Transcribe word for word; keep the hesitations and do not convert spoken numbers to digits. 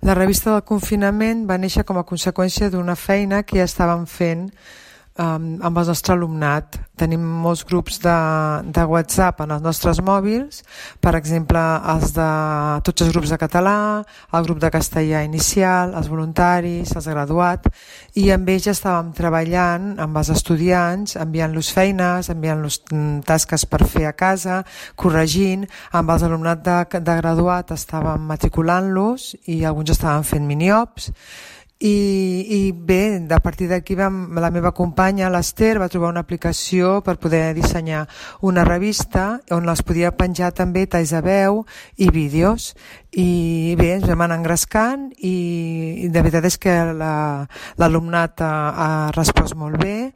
La revista del confinament va néixer com a conseqüència d'una feina que ja estàvem fent um, amb el nostre alumnat. Tenim molts grups de, de WhatsApp en els nostres mòbils, per exemple, els de tots els grups de català, el grup de castellà inicial, els voluntaris, els graduats, i amb ells ja estàvem treballant amb els estudiants, enviant-los feines, enviant-los tasques per fer a casa, corregint. Amb els alumnat de, de graduat estàvem matriculant-los i alguns estaven fent miniops. I, i bé, a partir d'aquí vam, la meva companya, l'Ester, va trobar una aplicació per poder dissenyar una revista on les podia penjar també talls de veu i vídeos. I bé, ens vam anar engrescant i, i de veritat és que la, l'alumnat ha, ha respost molt bé